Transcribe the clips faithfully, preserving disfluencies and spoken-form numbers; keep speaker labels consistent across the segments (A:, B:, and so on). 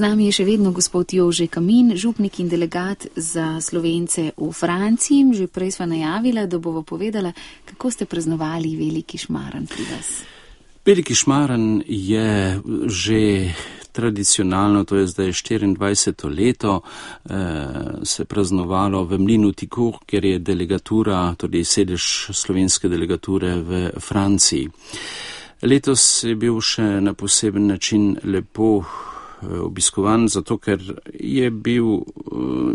A: Z nami je še vedno gospod Jože Kamin, župnik in delegat za Slovence v Franciji. Že prej sva najavila, da bova povedala, kako ste praznovali veliki šmaran pri vas.
B: Veliki šmaran je že tradicionalno, to je zdaj štiriindvajseto leto, eh, se praznovalo v Mlinu Ticourt, kjer je delegatura, torej sedež slovenske delegature v Franciji. Letos je bil še na poseben način lepo obiskovan, zato ker je bil,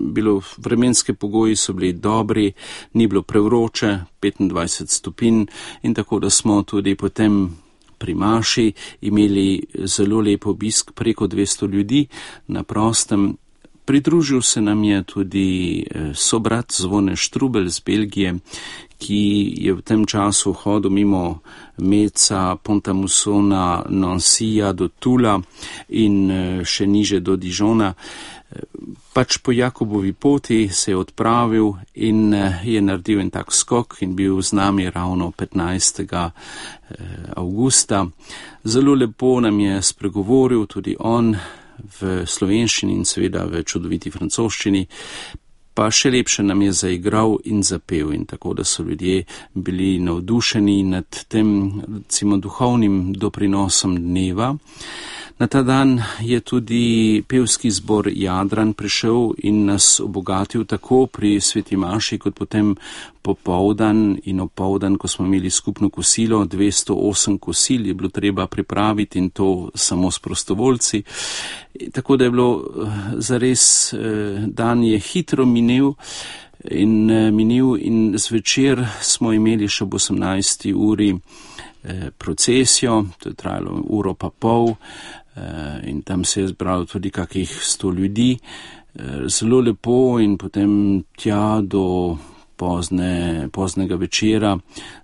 B: bilo vremenske pogoji so bili dobri, ni bilo prevroče, petindvajset stopinj in tako, da smo tudi potem pri maši imeli zelo lep obisk, preko dvesto ljudi na prostem. Pridružil se nam je tudi sobrat Zvone Štrubelj z Belgije, ki je v tem času hodil mimo Meca, Pont-à-Mousson, Nancyja do Tula in še niže do Dijona. Pač po Jakobovi poti se je odpravil in je naredil en tak skok in bil z nami ravno petnajstega avgusta. Zelo lepo nam je spregovoril tudi on v slovenščini in seveda v čudoviti francoščini, pa še lepše nam je zaigral in zapel in tako, da so ljudje bili navdušeni nad tem, recimo, duhovnim doprinosom dneva. Na ta dan je tudi pevski zbor Jadran prišel in nas obogatil tako pri sveti maši, kot potem popoldan in opoldan, ko smo imeli skupno kosilo, dvesto osem kosil je bilo treba pripraviti in to samo s prostovoljci. Tako da je bilo zares, dan je hitro minil in minil in zvečer smo imeli še ob osemnajsti uri procesijo, to je trajalo uro pa pol, in tam se je zbralo tudi kakih sto ljudi, zelo lepo in potem tja do pozne, poznega večera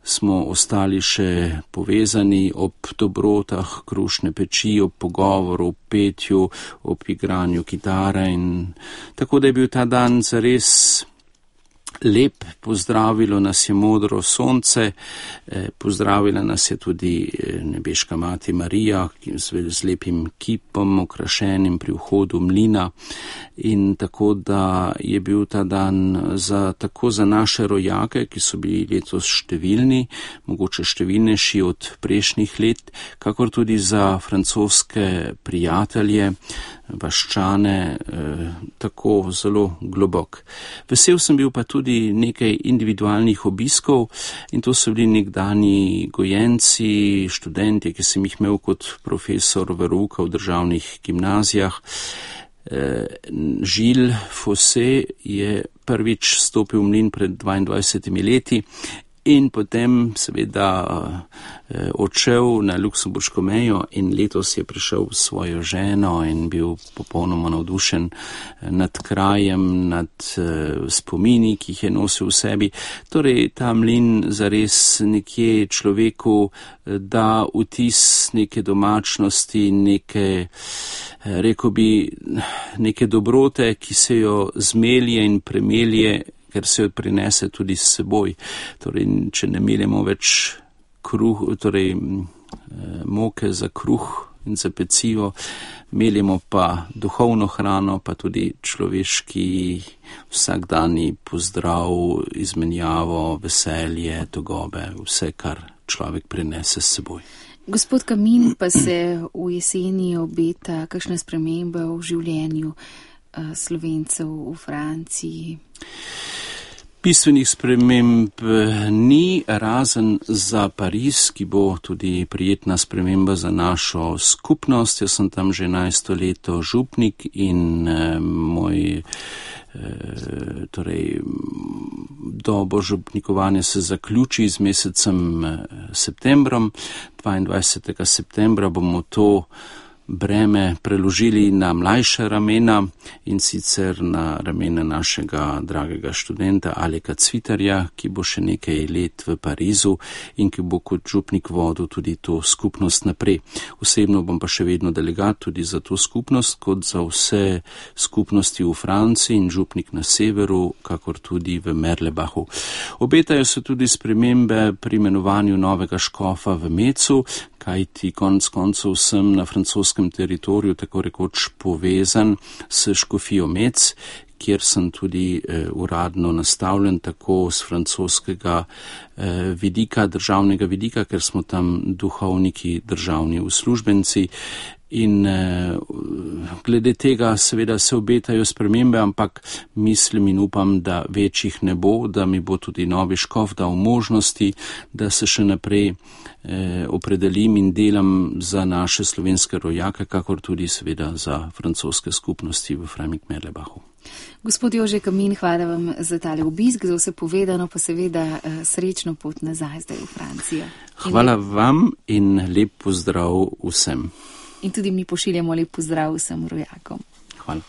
B: smo ostali še povezani ob dobrotah krušne peči, ob pogovoru, ob petju, ob igranju kitare in tako, da je bil ta dan zares lep. Pozdravilo nas je modro sonce, pozdravila nas je tudi nebeška mati Marija z lepim kipom okrašenim pri vhodu mlina in tako, da je bil ta dan za, tako za naše rojake, ki so bili letos številni, mogoče številnejši od prejšnjih let, kakor tudi za francoske prijatelje, vaščane, eh, tako zelo globok. Vesel sem bil pa tudi nekaj individualnih obiskov in to so bili nekdani gojenci, študenti, ki sem jih imel kot profesor verouka v državnih gimnazijah. Eh, Žil Fosse je prvič stopil v mlin pred dvaindvajsetimi leti in potem seveda eh, odšel na luksemburško mejo in letos je prišel s svojo ženo in bil popolnoma navdušen nad krajem, nad eh, spomini, ki jih je nosil v sebi. Torej, ta mlin zares nekje človeku eh, da vtis neke domačnosti, neke, eh, rekel bi, neke dobrote, ki se jo zmelje in premelje, ker se jo prinese tudi s seboj. Torej, če ne meljemo več kruh, torej moke za kruh in za pecivo, meljemo pa duhovno hrano, pa tudi človeški vsakdanji pozdrav, izmenjavo, veselje, togobe, vse, kar človek prinese s seboj.
A: Gospod Kamin, pa se v jeseni obeta kakšna sprememba v življenju Slovencev v Franciji?
B: Bistvenih sprememb ni, razen za Pariz, ki bo tudi prijetna sprememba za našo skupnost. Jaz sem tam že enajsto leto župnik in eh, moj eh, torej, dobo župnikovanja se zaključi z mesecem eh, septembrom. dvaindvajsetega septembra bomo to breme preložili na mlajša ramena in sicer na ramena našega dragega študenta Aleka Cvitarja, ki bo še nekaj let v Parizu in ki bo kot župnik vodil tudi to skupnost naprej. Osebno bom pa še vedno delegat tudi za to skupnost, kot za vse skupnosti v Franciji in župnik na severu, kakor tudi v Merlebachu. Obetajo se tudi spremembe pri imenovanju novega škofa v Mecu, kajti konec koncev sem na francoskem teritoriju tako rekoč povezan s Škofijo Mec, kjer sem tudi eh, uradno nastavljen tako z francoskega eh, vidika, državnega vidika, ker smo tam duhovniki, državni uslužbenci. In eh, glede tega seveda se obetajo spremembe, ampak mislim in upam, da večjih ne bo, da mi bo tudi novi škof dal možnosti, da se še naprej eh, opredelim in delam za naše slovenske rojake, kakor tudi seveda za francoske skupnosti v Freiberg-Merlebachu.
A: Gospod Jože Kamin, hvala vam za tale obisk, za vse povedano, pa seveda eh, srečno pot nazaj zdaj v Francijo.
B: Hvala vam in lep pozdrav vsem.
A: In tudi mi pošiljamo lep pozdrav vsem rojakom.
B: Hvala.